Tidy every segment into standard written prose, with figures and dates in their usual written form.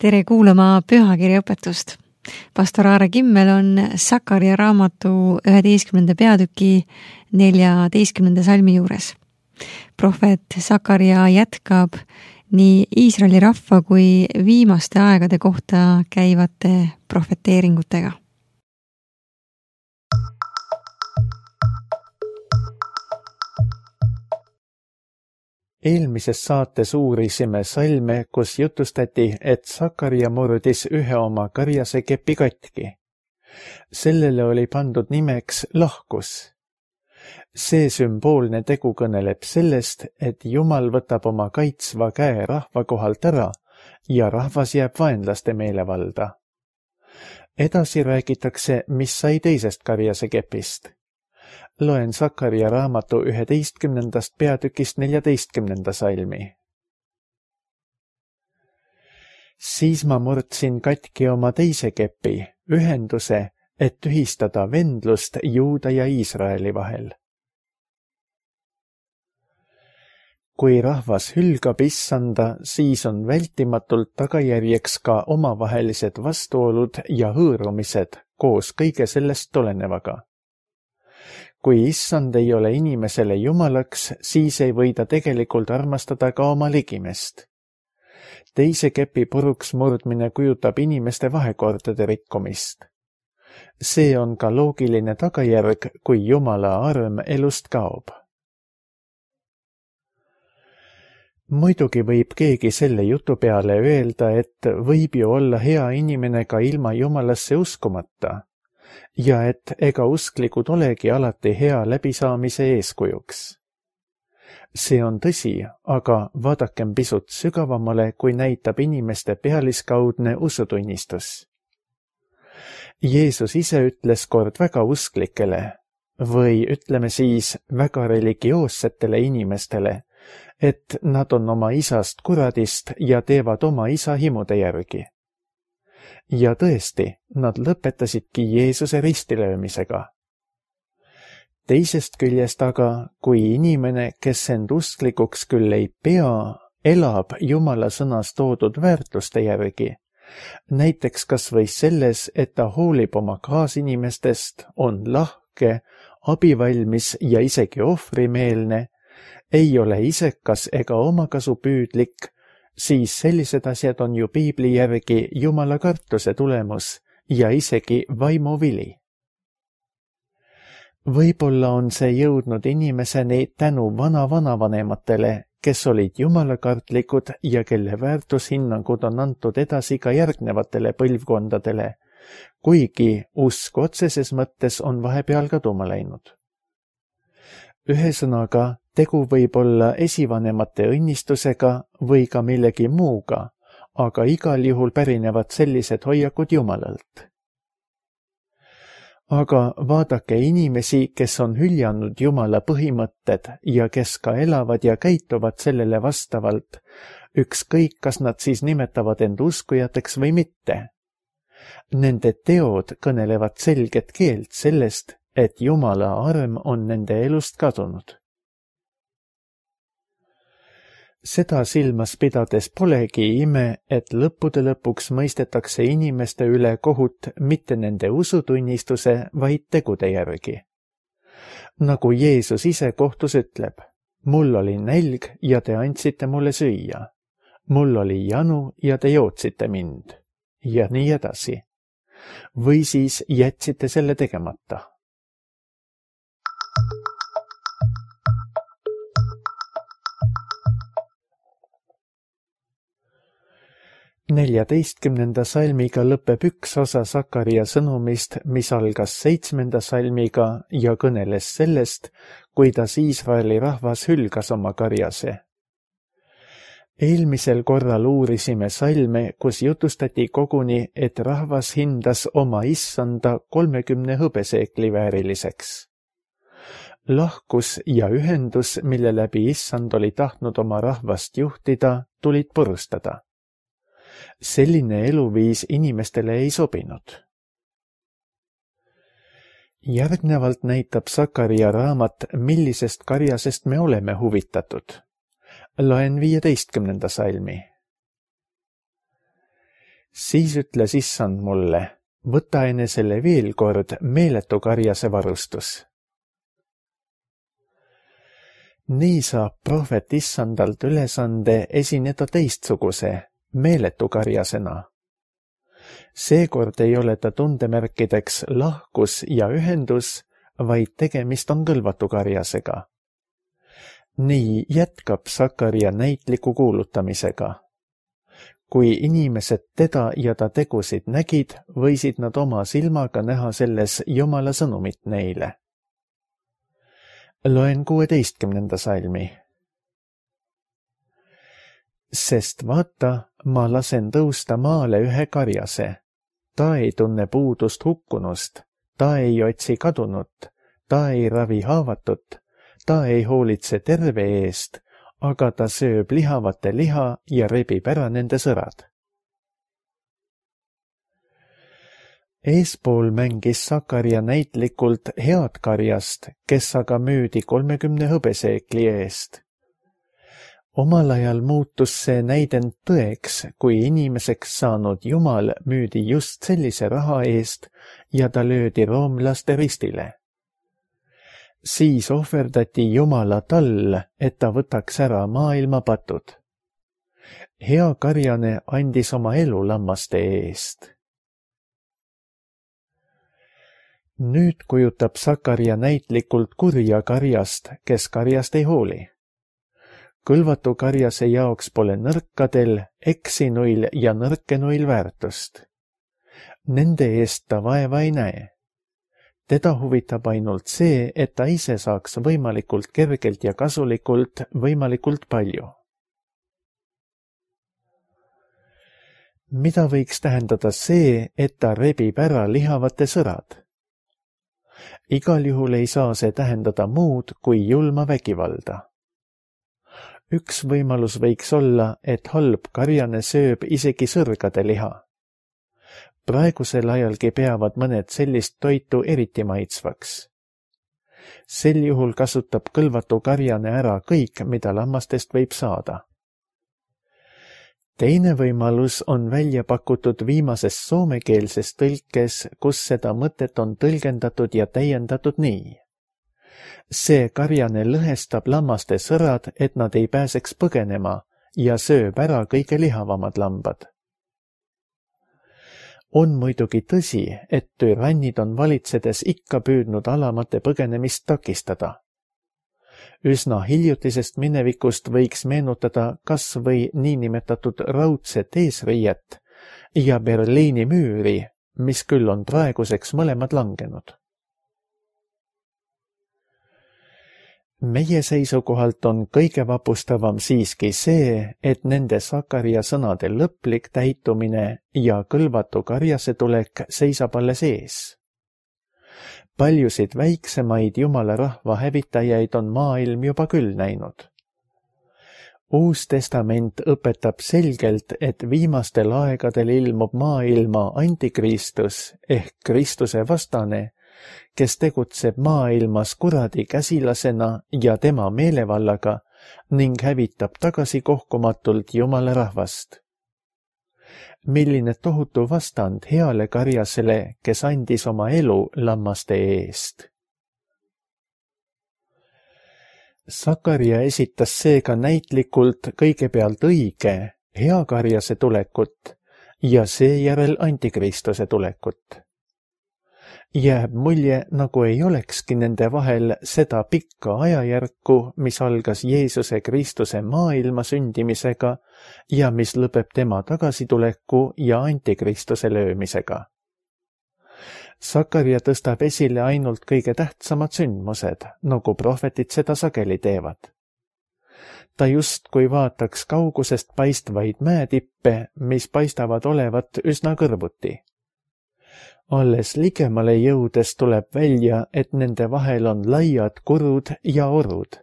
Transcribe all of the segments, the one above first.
Tere kuulama pühakirjaõpetust. Pastor Aare Kimmel on Sakaria raamatu 11. peatüki 14. salmi juures. Prohvet Sakaria jätkab nii Iisraeli rahva kui viimaste aegade kohta käivate prohveteeringutega. Eelmises saates uurisime salme, kus jutustati, et Sakaria murdis ühe oma karjase kepi katki. Sellele oli pandud nimeks lahkus. See sümboolne tegu kõneleb sellest, et Jumal võtab oma kaitsva käe rahva kohalt ära ja rahvas jääb vaenlaste meelevalda. Edasi räägitakse, mis sai teisest karjase kepist. Loen Sakaria raamatu 11. peatükist 14. salmi. Siis ma murdsin katki oma teise kepi, ühenduse, et tühistada vendlust Juuda ja Iisraeli vahel. Kui rahvas hülgab Issanda, siis on vältimatult tagajärjeks ka omavahelised vastuolud ja hõõrumised koos kõige sellest tulenevaga. Kui Issand ei ole inimesele jumalaks, siis ei või ta tegelikult armastada ka oma ligimest. Teise kepi puruks murdmine kujutab inimeste vahekordade rikkumist. See on ka loogiline tagajärg, kui Jumala arm elust kaob. Muidugi võib keegi selle jutu peale öelda, et võib ju olla hea inimene ka ilma Jumalasse uskumata. Ja et ega usklikud olegi alati hea läbisaamise eeskujuks. See on tõsi, aga vaadakem pisut sügavamale, kui näitab inimeste pealiskaudne usutunnistus. Jeesus ise ütles kord väga usklikele, või ütleme siis väga religioossetele inimestele, et nad on oma isast kuradist ja teevad oma isa himude järgi. Ja tõesti, nad lõpetasidki Jeesuse ristilöömisega. Teisest küljest aga, kui inimene, kes end usklikuks küll ei pea, elab Jumala sõnas toodud väärtuste järgi, näiteks kas või selles, et ta hoolib oma kaasinimestest, on lahke, abivalmis ja isegi ohvrimeelne, ei ole isekas ega omakasupüüdlik, siis sellised asjad on ju piibli järgi Jumala kartuse tulemus ja isegi vaimuvili. Võib-olla on see jõudnud inimeseni tänu vana-vanavanematele, kes olid jumalakartlikud ja kelle väärtushinnangud on antud edasi ka järgnevatele põlvkondadele, kuigi usk otseses mõttes on vahepeal kaduma läinud. Ühesõnaga, tegu võib olla esivanemate õnnistusega või ka millegi muuga, aga igal juhul pärinevad sellised hoiakud Jumalalt. Aga vaadake inimesi, kes on hüljanud Jumala põhimõtted ja kes ka elavad ja käituvad sellele vastavalt, ükskõik kas nad siis nimetavad end uskujateks või mitte. Nende teod kõnelevad selget keelt sellest, et Jumala arm on nende elust kadunud. Seda silmas pidades polegi ime, et lõppude lõpuks mõistetakse inimeste üle kohut mitte nende usutunnistuse, vaid tegude järgi. Nagu Jeesus ise kohtus ütleb, mul oli nälg ja te andsite mulle süüa, mul oli janu ja te jootsite mind, ja nii edasi. Või siis jätsite selle tegemata. Neljateistkümnenda salmiga lõpeb üks osa Sakaria sõnumist, mis algas 7. salmiga ja kõneles sellest, kuidas Iisraeli rahvas hülgas oma karjase. Eelmisel korral uurisime salme, kus jutustati koguni, et rahvas hindas oma Issanda 30 hõbeseekli vääriliseks. Lahkus ja ühendus, mille läbi Issand oli tahtnud oma rahvast juhtida, tulid purustada. Selline eluviis inimestele ei sobinud. Järgnevalt näitab Sakaria raamat, millisest karjasest me oleme huvitatud. Loen 15. salmi. Siis ütles issand mulle, võta enesele veel kord meeletu karjase varustus. Nii saab prohvet issandalt ülesande esineda teistsuguse, meeletu karjasena. Seekord ei ole ta tundemärkideks lahkus ja ühendus, vaid tegemist on kõlvatu karjasega. Nii jätkab Sakaria näitliku kuulutamisega. Kui inimesed teda ja ta tegusid nägid, võisid nad oma silmaga näha selles Jumala sõnumit neile. Loen 16. salmi. Sest vaata, ma lasen tõusta maale ühe karjase. Ta ei tunne puudust hukkunust, ta ei otsi kadunut, ta ei ravi haavatut, ta ei hoolitse terve eest, aga ta sööb lihavate liha ja rebib ära nende sõrad. Eespool mängis Sakaria näitlikult head karjast, kes aga müüdi 30 hõbeseekli eest. Omal ajal muutus see näidend tõeks, kui inimeseks saanud Jumal müüdi just sellise raha eest ja ta löödi roomlaste ristile. Siis ohverdati Jumala tall, et ta võtaks ära maailma patud. Hea karjane andis oma elu lammaste eest. Nüüd kujutab Sakaria näitlikult kurja karjast, kes karjast ei hooli. Kõlvatu karjase jaoks pole nõrkadel, eksinuil ja nõrkenuil väärtust. Nende eest ta vaeva ei näe. Teda huvitab ainult see, et ta ise saaks võimalikult kergelt ja kasulikult võimalikult palju. Mida võiks tähendada see, et ta rebib ära lihavate sõrad? Igal juhul ei saa see tähendada muud kui julma vägivalda. Üks võimalus võiks olla, et halb karjane sööb isegi sõrgade liha. Praegusel ajalgi peavad mõned sellist toitu eriti maitsvaks. Sel juhul kasutab kõlvatu karjane ära kõik, mida lammastest võib saada. Teine võimalus on välja pakutud viimases soomekeelses tõlkes, kus seda mõtet on tõlgendatud ja täiendatud nii. See karjane lõhestab lammaste sõrad, et nad ei pääseks põgenema ja sööb ära kõige lihavamad lambad. On muidugi tõsi, et türannid on valitsedes ikka püüdnud alamate põgenemist takistada. Üsna hiljutisest minevikust võiks meenutada kas või niinimetatud raudset eesriiet ja Berliini müüri, mis küll on praeguseks mõlemad langenud. Meie seisukohalt on kõige vapustavam siiski see, et nende Sakaria sõnade lõplik täitumine ja kõlvatu karjase tulek seisab alles ees. Paljusid väiksemaid Jumala rahva hävitajaid on maailm juba küll näinud. Uus testament õpetab selgelt, et viimastel aegadel ilmub maailma antikristus ehk Kristuse vastane, kes tegutseb maailmas kuradi käsilasena ja tema meelevallaga ning hävitab tagasikohkumatult Jumala rahvast. Milline tohutu vastand heale karjasele, kes andis oma elu lammaste eest. Sakaria esitas seega näitlikult kõigepealt õige, hea karjase tulekut ja seejärel antikristuse tulekut. Jääb mulje, nagu ei olekski nende vahel seda pikka ajajärku, mis algas Jeesuse Kristuse maailma sündimisega ja mis lõpeb tema tagasituleku ja antikristuse löömisega. Sakaria tõstab esile ainult kõige tähtsamad sündmused, nagu prohvetid seda sageli teevad. Ta justkui vaataks kaugusest paistvaid mäetippe, mis paistavad olevat üsna kõrvuti. Alles ligemale jõudes tuleb välja, et nende vahel on laiad kurud ja orud,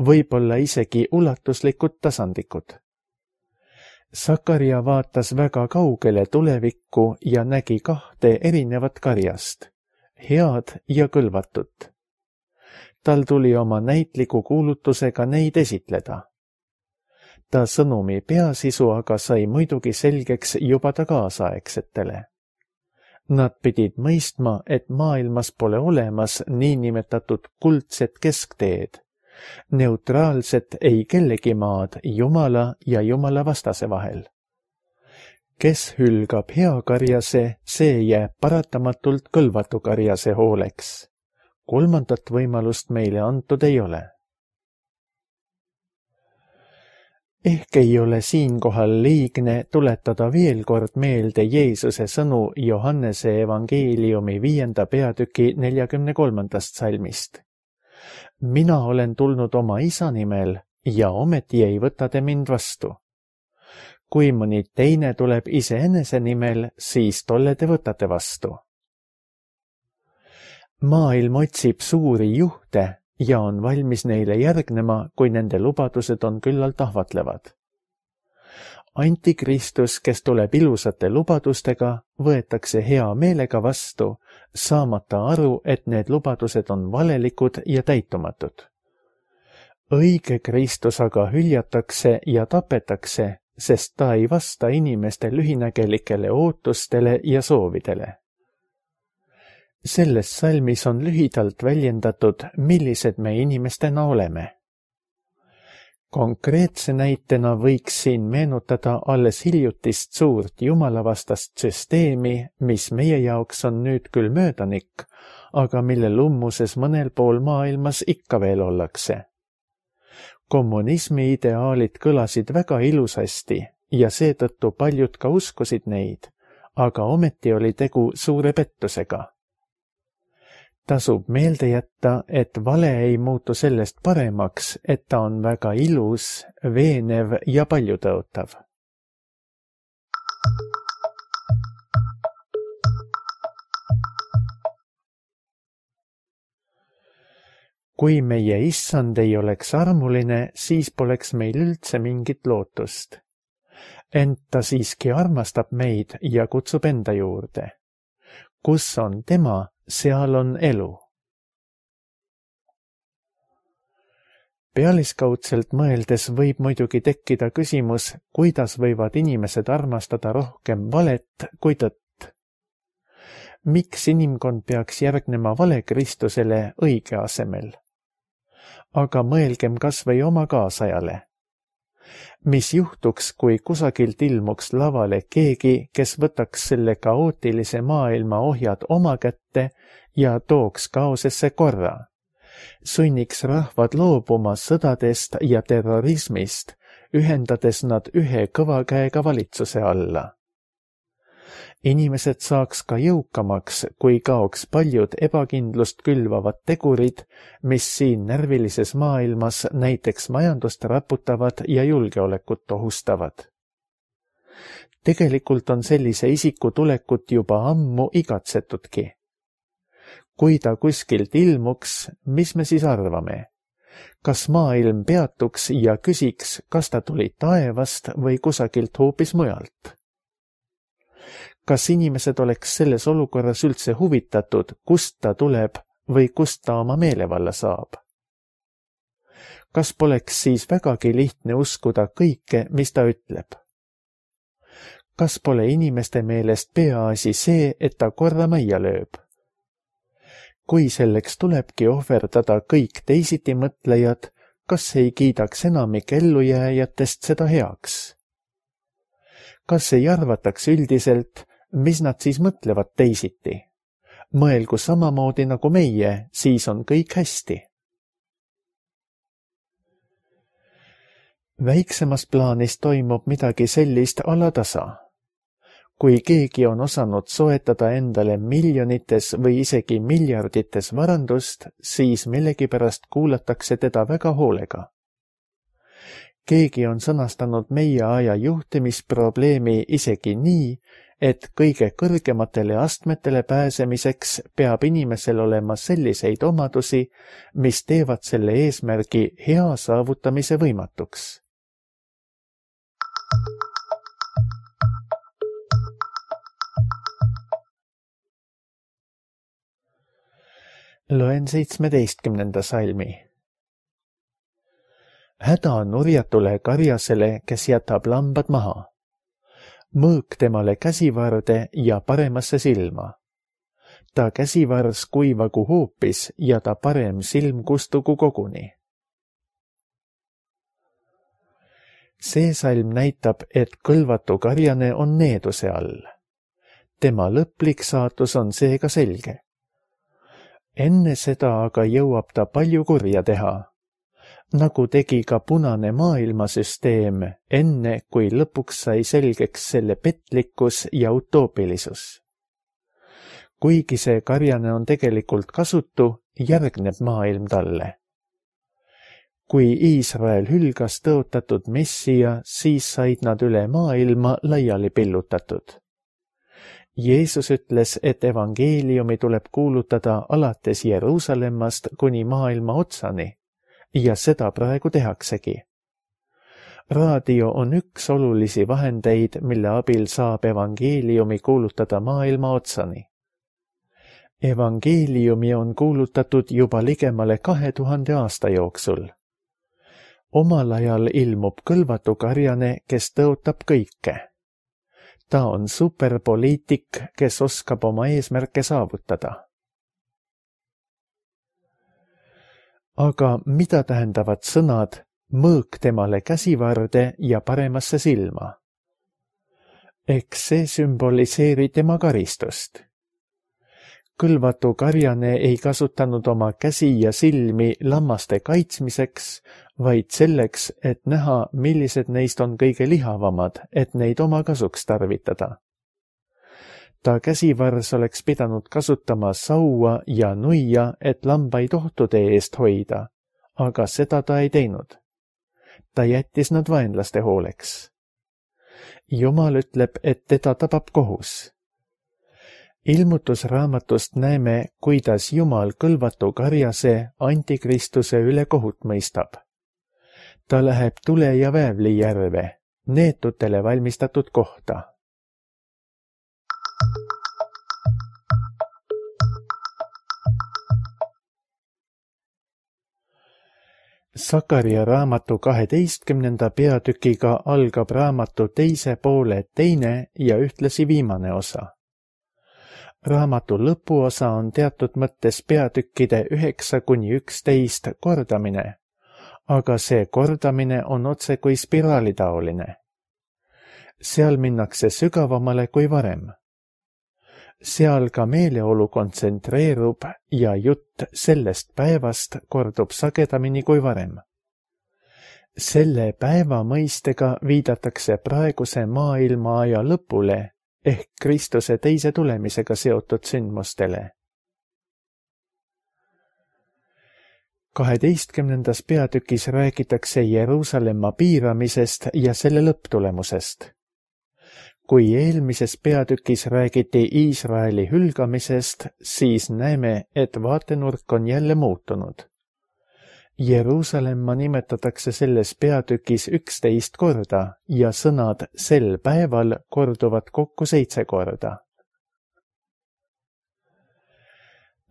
võib-olla isegi ulatuslikud tasandikud. Sakaria vaatas väga kaugele tulevikku ja nägi kahte erinevat karjast, head ja kõlvatut. Tal tuli oma näitliku kuulutusega neid esitleda. Ta sõnumi peasisu aga sai muidugi selgeks juba ta kaasaegsetele. Nad pidid mõistma, et maailmas pole olemas niinimetatud kuldset keskteed, neutraalset ei kellegi maad Jumala ja Jumala vastase vahel. Kes hülgab hea karjase, see jääb paratamatult kõlvatu karjase hooleks. Kolmandat võimalust meile antud ei ole. Ehk ei ole siinkohal liigne tuletada veel kord meelde Jeesuse sõnu Johannese evangeeliumi 5. peatüki 43. salmist. Mina olen tulnud oma isa nimel ja ometi ei võta te mind vastu. Kui mõni teine tuleb iseenese nimel, siis tolle te võtate vastu. Maailm otsib suuri juhte ja on valmis neile järgnema, kui nende lubadused on küllalt ahvatlevad. Antikristus, kes tuleb ilusate lubadustega, võetakse hea meelega vastu, saamata aru, et need lubadused on valelikud ja täitumatud. Õige Kristus aga hüljatakse ja tapetakse, sest ta ei vasta inimeste lühinägelikele ootustele ja soovidele. Selles salmis on lühidalt väljendatud, millised me inimestena oleme. Konkreetse näitena võiks siin meenutada alles hiljutist suurt jumalavastast süsteemi, mis meie jaoks on nüüd küll möödanik, aga mille lummuses mõnel pool maailmas ikka veel ollakse. Kommunismi ideaalid kõlasid väga ilusasti ja seetõttu paljud ka uskusid neid, aga ometi oli tegu suure pettusega. Tasub meelde jätta, et vale ei muutu sellest paremaks, et ta on väga ilus, veenev ja paljutõotav. Kui meie issand ei oleks armuline, siis poleks meil üldse mingit lootust. Ent ta siiski armastab meid ja kutsub enda juurde. Kus on tema, seal on elu. Pealiskaudselt mõeldes võib muidugi tekkida küsimus, kuidas võivad inimesed armastada rohkem valet kui tõtt. Miks inimkond peaks järgnema vale Kristusele õige asemel? Aga mõelgem kas või oma kaasajale. Mis juhtuks, kui kusagilt ilmuks lavale keegi, kes võtaks selle kaootilise maailma ohjad oma kätte ja tooks kaosesse korra? Sunniks rahvad loobuma sõdadest ja terrorismist, ühendades nad ühe kõva käega valitsuse alla. Inimesed saaks ka jõukamaks, kui kaoks paljud ebakindlust külvavad tegurid, mis siin närvilises maailmas näiteks majandust raputavad ja julgeolekut ohustavad. Tegelikult on sellise isiku tulekut juba ammu igatsetudki. Kui ta kuskilt ilmuks, mis me siis arvame? Kas maailm peatuks ja küsiks, kas ta tuli taevast või kusagilt hoopis mujalt? Kas inimesed oleks selles olukorras üldse huvitatud, kust ta tuleb või kust ta oma meelevalla saab? Kas poleks siis vägagi lihtne uskuda kõike, mis ta ütleb? Kas pole inimeste meelest peaasi see, et ta korra majja lööb? Kui selleks tulebki ohverdada kõik teisiti mõtlejad, kas ei kiidaks enamik ellujääjatest seda heaks? Kas ei arvataks üldiselt, mis nad siis mõtlevad teisiti? Mõelgu samamoodi nagu meie, siis on kõik hästi. Väiksemas plaanis toimub midagi sellist alatasa. Kui keegi on osanud soetada endale miljonites või isegi miljardites varandust, siis millegipärast kuulatakse teda väga hoolega. Keegi on sõnastanud meie aja juhtimisprobleemi isegi nii, et kõige kõrgematele astmetele pääsemiseks peab inimesel olema selliseid omadusi, mis teevad selle eesmärgi hea saavutamise võimatuks. Loen 17. salmi. häda nurjatule karjasele, kes jätab lambad maha. Mõõk temale käsivarde ja paremasse silma. Ta käsivars kuivagu hoopis ja ta parem silm kustugu koguni. See salm näitab, et kõlvatu karjane on needuse all. Tema lõplik saatus on seega selge. Enne seda aga jõuab ta palju kurja teha, nagu tegi ka punane maailmasüsteem, enne kui lõpuks sai selgeks selle petlikkus ja utoopilisus. Kuigi see karjane on tegelikult kasutu, järgneb maailm talle. Kui Iisrael hülgas tõotatud messia, siis said nad üle maailma laiali pillutatud. Jeesus ütles, et evangeeliumi tuleb kuulutada alates Jeruusalemmast kuni maailma otsani ja seda praegu tehaksegi. Raadio on üks olulisi vahendeid, mille abil saab evangeeliumi kuulutada maailma otsani. Evangeeliumi on kuulutatud juba ligemale 2000 aasta jooksul. Omal ajal ilmub kõlvatu karjane, kes tõotab kõike. Ta on superpoliitik, kes oskab oma eesmärke saavutada. Aga mida tähendavad sõnad mõõk temale käsivarde ja paremasse silma? Eks see sümboliseeri tema karistust. Kõlvatu karjane ei kasutanud oma käsi ja silmi lammaste kaitsmiseks, vaid selleks, et näha, millised neist on kõige lihavamad, et neid oma kasuks tarvitada. Ta käsivars oleks pidanud kasutama saua ja nuia, et lambaid ohtude eest hoida, aga seda ta ei teinud. Ta jättis nad vaenlaste hooleks. Jumal ütleb, et teda tabab kohus. Ilmutusraamatust näeme, kuidas Jumal kõlvatu karjase antikristuse üle kohut mõistab. Ta läheb tule ja väävli järve, neetutele valmistatud kohta. Sakaria raamatu 12. peatükiga algab raamatu teise poole teine ja ühtlasi viimane osa. Raamatu lõpuosa on teatud mõttes peatükkide 9–11 kordamine, aga see kordamine on otse kui spiraalitaoline. Seal minnakse sügavamale kui varem. Seal ka meeleolu kontsentreerub ja jutt sellest päevast kordub sagedamini kui varem. Selle päeva mõistega viidatakse praeguse maailma aja lõpule ehk Kristuse teise tulemisega seotud sündmustele. 12. peatükis räägitakse Jeruusalemma piiramisest ja selle lõpptulemusest. Kui eelmises peatükis räägiti Iisraeli hülgamisest, siis näeme, et vaatenurk on jälle muutunud. Jeruusalemma nimetatakse selles peatükis 11 korda ja sõnad sel päeval korduvad kokku 7 korda.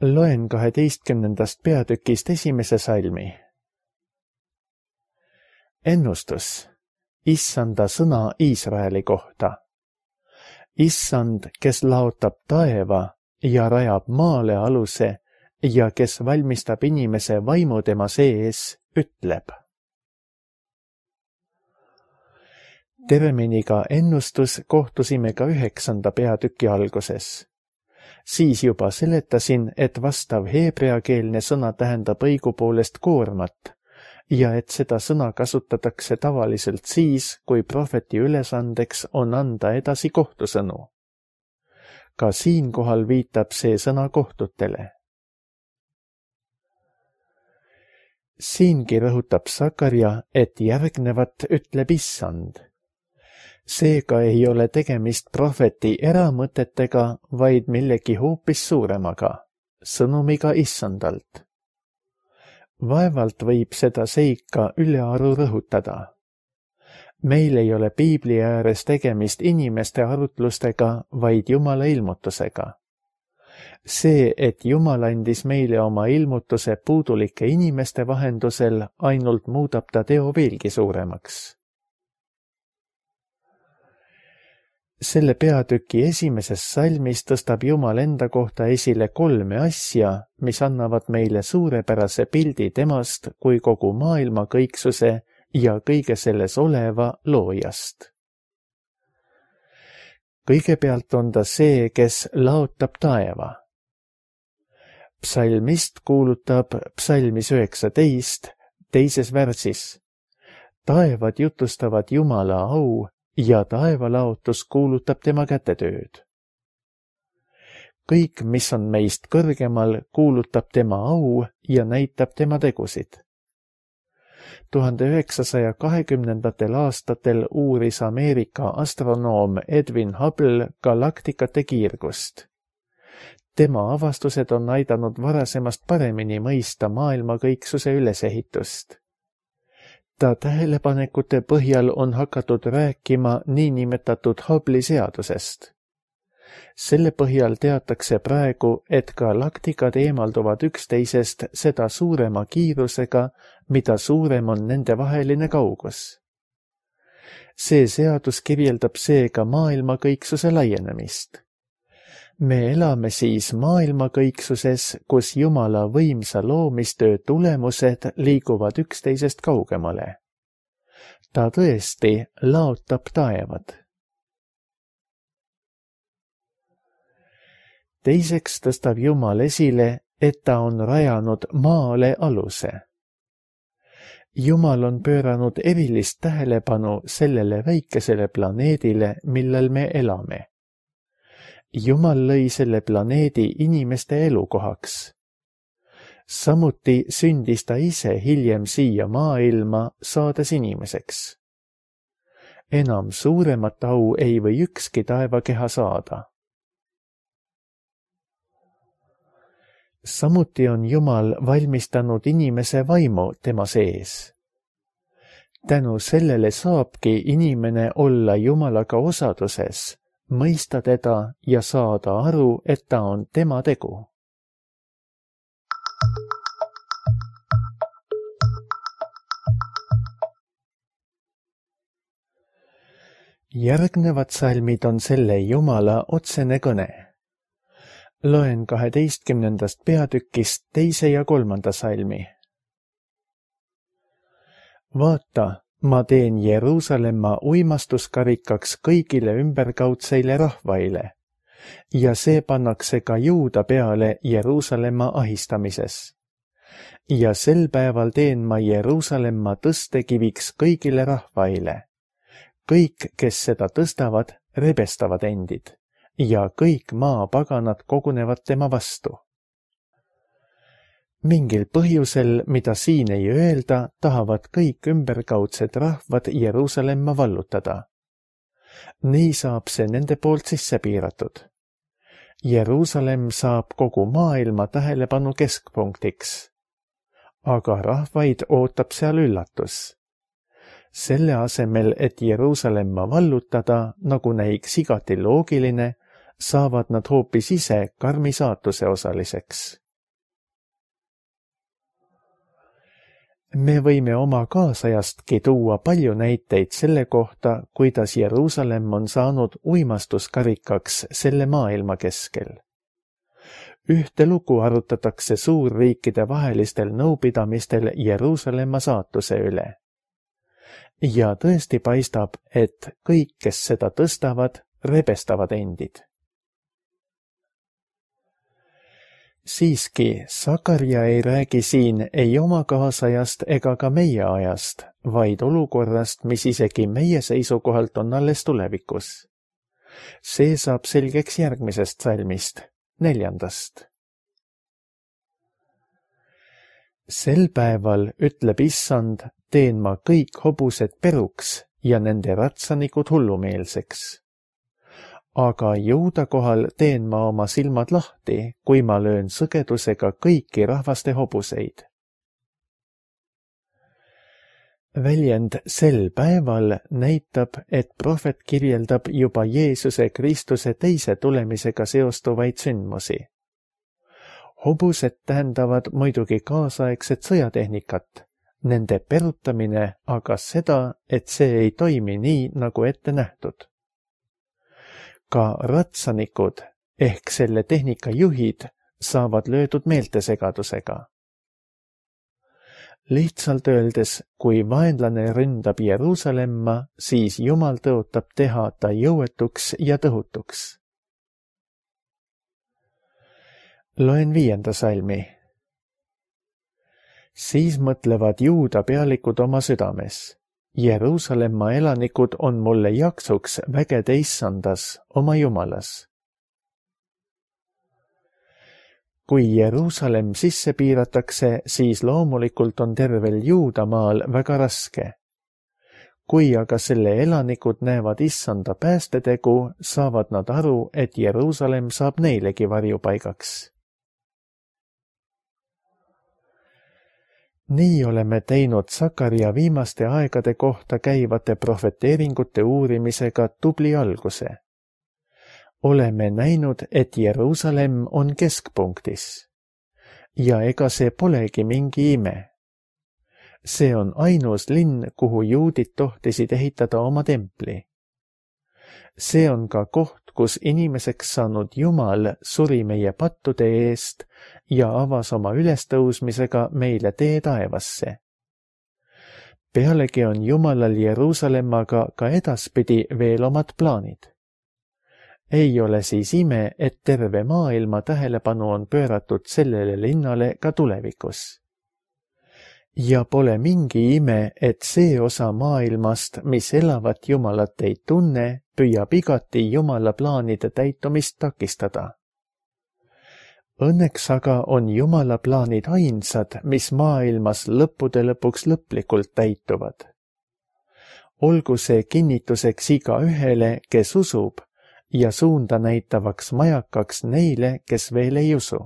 Loen 12. peatükist esimese salmi. Ennustus. Issanda sõna Iisraeli kohta. Issand, kes laotab taeva ja rajab maale aluse ja kes valmistab inimese vaimu tema sees, ütleb. Terminiga ennustus kohtusime ka 9. peatüki alguses. Siis juba seletasin, et vastav heebreakeelne sõna tähendab õigupoolest koormat ja et seda sõna kasutatakse tavaliselt siis, kui prohveti ülesandeks on anda edasi kohtusõnu. Ka siinkohal viitab see sõna kohtutele. Siingi rõhutab Sakaria, et järgnevat ütleb Issand. Seega ei ole tegemist prohveti eramõtetega, vaid millegi hoopis suuremaga, sõnumiga Issandalt. Vaevalt võib seda seika ülearu rõhutada. Meil ei ole piibli ääres tegemist inimeste arutlustega, vaid Jumala ilmutusega. See, et Jumal andis meile oma ilmutuse puudulike inimeste vahendusel, ainult muudab ta teo veelgi suuremaks. Selle peatüki esimeses salmis tõstab Jumal enda kohta esile 3 asja, mis annavad meile suurepärase pildi temast kui kogu maailma kõiksuse ja kõige selles oleva loojast. Kõigepealt on ta see, kes laotab taeva. Psalmist kuulutab psalmis 19, 2. värsis. Taevad jutustavad Jumala au ja taevalaotus kuulutab tema kätetööd. Kõik, mis on meist kõrgemal, kuulutab tema au ja näitab tema tegusid. 1920. aastatel uuris Ameerika astronoom Edwin Hubble galaktikate kiirgust. Tema avastused on aidanud varasemast paremini mõista maailma kõiksuse ülesehitust. Ta tähelepanekute põhjal on hakatud rääkima niinimetatud Hubble'i seadusest. Selle põhjal teatakse praegu, et galaktikad eemalduvad üksteisest seda suurema kiirusega, mida suurem on nende vaheline kaugus. See seadus kirjeldab seega maailma kõiksuse laienemist. Me elame siis maailma kõiksuses, kus Jumala võimsa loomistöö tulemused liiguvad üksteisest kaugemale. Ta tõesti laotab taevad. Teiseks tõstab Jumal esile, et ta on rajanud maale aluse. Jumal on pööranud erilist tähelepanu sellele väikesele planeedile, millel me elame. Jumal lõi selle planeedi inimeste elukohaks. Samuti sündis ta ise hiljem siia maailma, saades inimeseks. Enam suuremat au ei või ükski taevakeha saada. Samuti on Jumal valmistanud inimese vaimu tema sees. Tänu sellele saabki inimene olla Jumalaga osaduses, mõista teda ja saada aru, et ta on tema tegu. Järgnevad salmid on selle Jumala otsene kõne. Loen 12. peatükist 2. ja 3. salmi. Vaata, ma teen Jeruusalemma uimastuskarikaks kõigile ümberkaudseile rahvaile ja see pannakse ka Juuda peale Jeruusalemma ahistamises. Ja sel päeval teen ma Jeruusalemma tõstekiviks kõigile rahvaile. Kõik, kes seda tõstavad, rebestavad endid ja kõik maapaganad kogunevad tema vastu. Mingil põhjusel, mida siin ei öelda, tahavad kõik ümberkaudsed rahvad Jeruusalemma vallutada. Nii saab see nende poolt sisse piiratud. Jeruusalemm saab kogu maailma tähelepanu keskpunktiks. Aga rahvaid ootab seal üllatus. Selle asemel, et Jeruusalemma vallutada, nagu näiks igati loogiline, saavad nad hoopis ise karmi saatuse osaliseks. Me võime oma kaasajastki tuua palju näiteid selle kohta, kuidas Jeruusalemm on saanud uimastuskarikaks selle maailma keskel. Ühte lugu arutatakse suurriikide vahelistel nõupidamistel Jeruusalemma saatuse üle. Ja tõesti paistab, et kõik, kes seda tõstavad, rebestavad endid. Siiski, Sakarja ei räägi siin ei oma kaasajast ega ka meie ajast, vaid olukorrast, mis isegi meie seisukohalt on alles tulevikus. See saab selgeks järgmisest salmist, 4. Sel päeval, ütleb Issand, teen ma kõik hobused peruks ja nende ratsanikud hullumeelseks. Aga Juuda kohal teen ma oma silmad lahti, kui ma löön sõgedusega kõiki rahvaste hobuseid. Väljend sel päeval näitab, et prohvet kirjeldab juba Jeesuse Kristuse teise tulemisega seostuvaid sündmusi. Hobused tähendavad muidugi kaasaegset sõjatehnikat, nende perutamine aga seda, et see ei toimi nii, nagu ette nähtud. Ka ratsanikud ehk selle tehnika juhid saavad löödud meeltesegadusega. Lihtsalt öeldes, kui vaenlane ründab Jeruusalemma, siis Jumal tõotab teha ta jõuetuks ja tõhutuks. Loen 5. salmi. Siis mõtlevad Juuda pealikud oma südames. Jeruusalemma elanikud on mulle jaksuks vägede issandas, oma Jumalas. Kui Jeruusalemm sisse piiratakse, siis loomulikult on tervel Juudamaal väga raske. Kui aga selle elanikud näevad issanda päästetegu, saavad nad aru, et Jeruusalemm saab neilegi varjupaigaks. Nii oleme teinud Sakaria viimaste aegade kohta käivate profeteeringute uurimisega tubli alguse. Oleme näinud, et Jeruusalemm on keskpunktis. Ja ega see polegi mingi ime. See on ainus linn, kuhu juudid tohtisid ehitada oma templi. See on ka koht, kus inimeseks saanud Jumal suri meie pattude eest ja avas oma ülestõusmisega meile tee taevasse. Pealegi on Jumalal Jeruusalemmaga ka edaspidi veel omad plaanid. Ei ole siis ime, et terve maailma tähelepanu on pööratud sellele linnale ka tulevikus. Ja pole mingi ime, et see osa maailmast, mis elavat Jumalat ei tunne, püüab igati Jumala plaanide täitumist takistada. Õnneks aga on Jumala plaanid ainsad, mis maailmas lõppude lõpuks lõplikult täituvad. Olgu see kinnituseks igaühele, kes usub, ja suunda näitavaks majakaks neile, kes veel ei usu.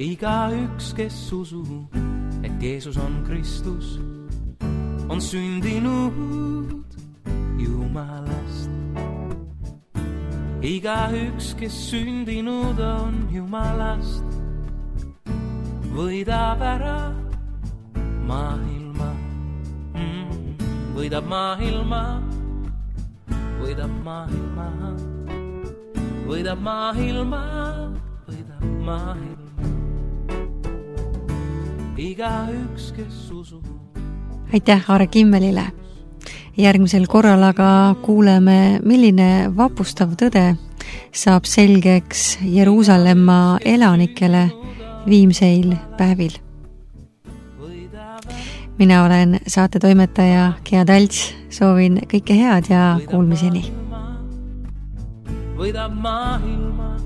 Igaüks, kes usub, et Jeesus on Kristus, on sündinud Jumalast. Igaüks, kes sündinud on Jumalast, võidab ära maailma. Võidab maailma, võidab maailma, võidab maailma, võidab maailma. Igaüks, kes usub. Aitäh Aare Kimmelile. Järgmisel korral aga kuuleme, milline vapustav tõde saab selgeks Jeruusalemma elanikele viimseil päevil. Mina olen saatetoimetaja Gea Talts, soovin kõike head ja kuulmiseni. Võidab maailma,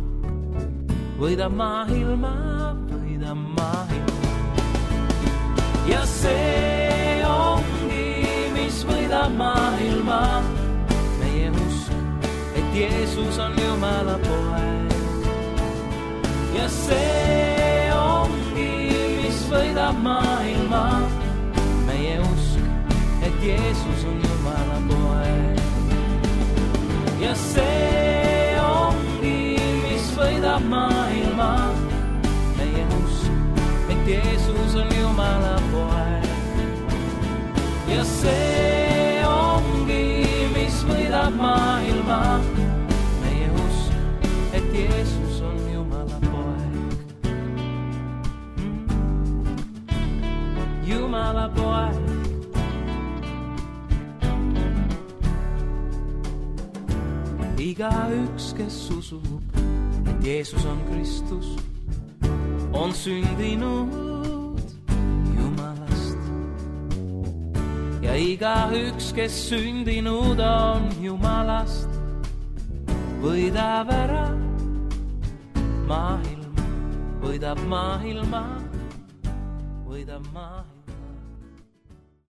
võidab maailma, võidab maailma. Ja see ongi, mis võidab maailma, meie usk, et Jeesus on Jumala poeg. Ja see ongi, mis võidab maailma, meie usk, et Jeesus on Jumala poeg. Ja see ongi, mis võidab maailma, meie usk, et Jeesus on Jumala poeg. Ja see ongi, mis võidab maailma, meie usk, et Jeesus on Jumala poeg. Jumala poeg. Igaüks, kes usub, et Jeesus on Kristus, on sündinud Jumalast. Ja igaüks, kes sündinud on Jumalast, võidab ära maailma, võidab maailma, võidab maailma.